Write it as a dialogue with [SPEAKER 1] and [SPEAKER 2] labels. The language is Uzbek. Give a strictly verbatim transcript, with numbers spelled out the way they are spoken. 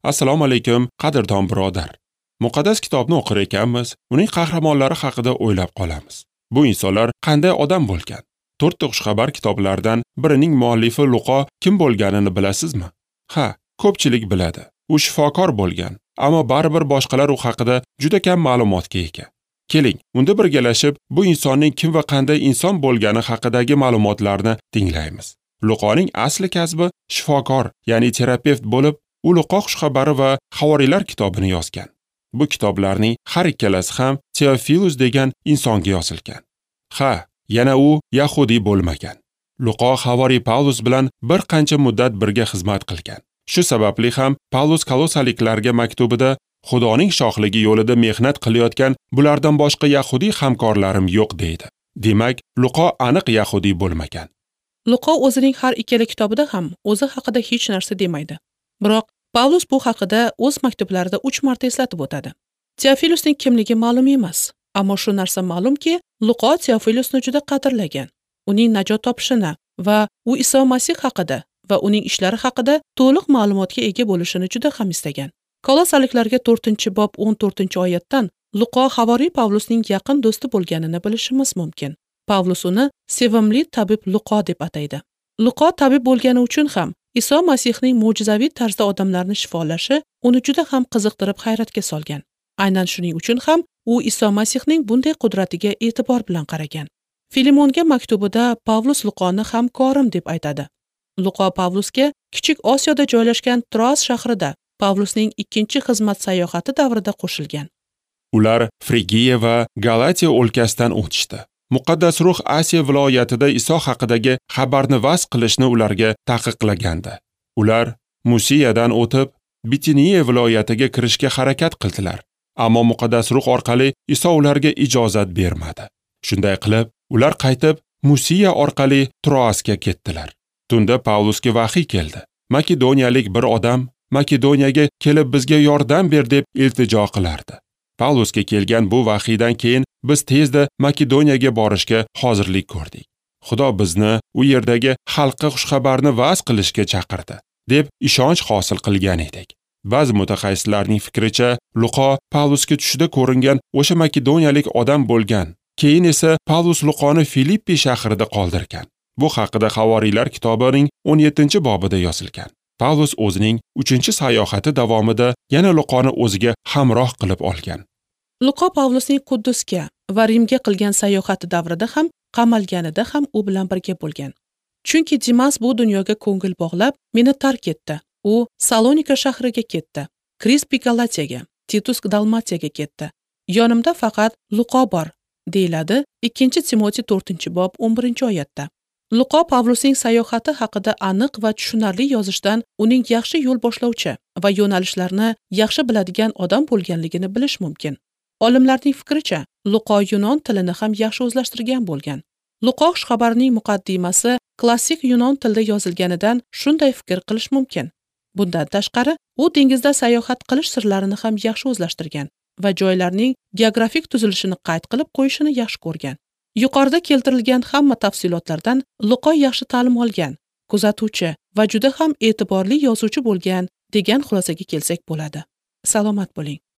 [SPEAKER 1] Assalomu alaykum, qadrdon birodar. Muqaddas kitobni o'qir ekanmiz, uning qahramonlari haqida o'ylab qolamiz. Bu insonlar qanday odam bo'lgan? To'rtta xushxabar kitoblaridan birining muallifi Luqo kim bo'lganini bilasizmi? Ha, ko'pchilik biladi. U shifokor bo'lgan, ammo baribir boshqalar u haqida juda kam ma'lumotga ega. Keling, unda birgalashib bu insonning kim va qanday inson bo'lgani haqidagi ma'lumotlarni tinglaymiz. Luqoning asli kasbi shifokor, ya'ni terapevt bo'lib, u Luqo xushxabari va Havoriylar kitobini yozgan. Bu kitoblarning har ikkalasi ham Teofilus degan insonga yozilgan. Ha, yana u yahudiy bo'lmagan. Luqo Havoriy Pavlus bilan bir qancha muddat birga xizmat qilgan. Shu sababli ham Pavlus Kolosaliklarga maktubida Xudoning shohligi yo'lida mehnat qilayotgan bulardan boshqa yahudiy hamkorlarim yo'q deydi. Demak, Luqo aniq yahudiy bo'lmagan.
[SPEAKER 2] Luqo o'zining har ikkala kitobida ham o'zi haqida hech narsa demaydi. Biroq Pavlus bu haqida o'z maktublarida uch marta eslatib o'tadi. Teofilusning kimligi ma'lum emas, ammo shu narsa ma'lumki, Luqo Teofilusni juda qadrlagan. Uning najot topishini va u Iso Masih haqida va uning ishlari haqida to'liq ma'lumotga ega bo'lishini juda ham istagan. Kolosaliklarga to'rtinchi bob o'n to'rtinchi oyatdan Luqo Havoriy Pavlusning yaqin do'sti bo'lganini bilishimiz mumkin. Pavlus uni sevimli tabib Luqo deb ataydi. Luqo tabib bo'lgani uchun ham Iso Masihning mo'jizaviy tarzda odamlarni shifolashi uni juda ham qiziqtirib hayratga solgan. Aynan shuning uchun ham u Iso Masihning bunday qudratiga e'tibor bilan qaragan. Filimonga maktubida Pavlus Luqoni hamkorim deb aytadi. Luqo Pavlusga Kichik Osiyoda joylashgan Troas shahrida Pavlusning ikkinchi xizmat sayohati davrida qo'shilgan.
[SPEAKER 1] Ular Frigiya va Galatiya o'lkasidan o'tishdi. Muqaddas ruh Asiya viloyatida Iso haqidagi xabarni vaz qilishni ularga taqiqlagandi. Ular Musiyadan o'tib, Bitiniya viloyatiga kirishga harakat qildilar. Ammo Muqaddas ruh orqali Iso ularga ijozat bermadi. Shunday qilib, ular qaytib Musiya orqali Troasga ketdilar. Tunda Pavlusga vahiy keldi. Makedoniyalik bir odam Makedoniyaga kelib bizga yordam ber deb iltijo qilardi. Pavlusga kelgan bu vahiydan keyin biz tezda Makedoniyaga borishga hozirlik ko'rdik. Xudo bizni u yerdagi xalqqa xushxabarni va'z qilishga chaqirdi, deb ishonch hosil qilgan edik. Ba'zi mutaxassislarning fikricha, Luqo Pavlusga tushida ko'ringan o'sha makedoniyalik odam bo'lgan. Keyin esa Pavlus Luqoni Filippi shahrida qoldirgan. Bu haqida Havoriylar kitobining o'n yettinchi bobida yozilgan. Pavlus o'zining uchinchi sayohati davomida yana Luqoni o'ziga hamroh qilib olgan.
[SPEAKER 2] Luqo Pavlusning Quddusga va Rimga qilgan sayohati davrida ham, qamalganida ham u bilan birga bo'lgan. Chunki Dimas bu dunyoga ko'ngil bog'lab, meni tark etdi. U Salonika shahriga ketdi. Krispi Galatiyaga, Titus Dalmatiyaga ketdi. Yonimda faqat Luqo bor, deyiladi ikkinchi Timotey to'rtinchi bob o'n birinchi oyatda. Luqo Pavlusning sayohati haqida aniq va tushunarli yozishdan uning yaxshi yo'l boshlovchi va yo'nalishlarni yaxshi biladigan odam bo'lganligini bilish mumkin. Olimlarning fikricha, Luqo yunon tilini ham yaxshi o'zlashtirgan bo'lgan. Luqo xushxabarining muqaddimasi klassik yunon tilida yozilganidan shunday fikr qilish mumkin. Bundan tashqari, u dengizda sayohat qilish sirlarini ham yaxshi o'zlashtirgan va joylarning geografik tuzilishini qayd qilib qo'yishini yaxshi ko'rgan. Yuqorida keltirilgan hamma tafsilotlardan Luqo yaxshi ta'lim olgan, kuzatuvchi va juda ham e'tiborli yozuvchi bo'lgan degan xulosaga kelsak bo'ladi. Salomat bo'ling.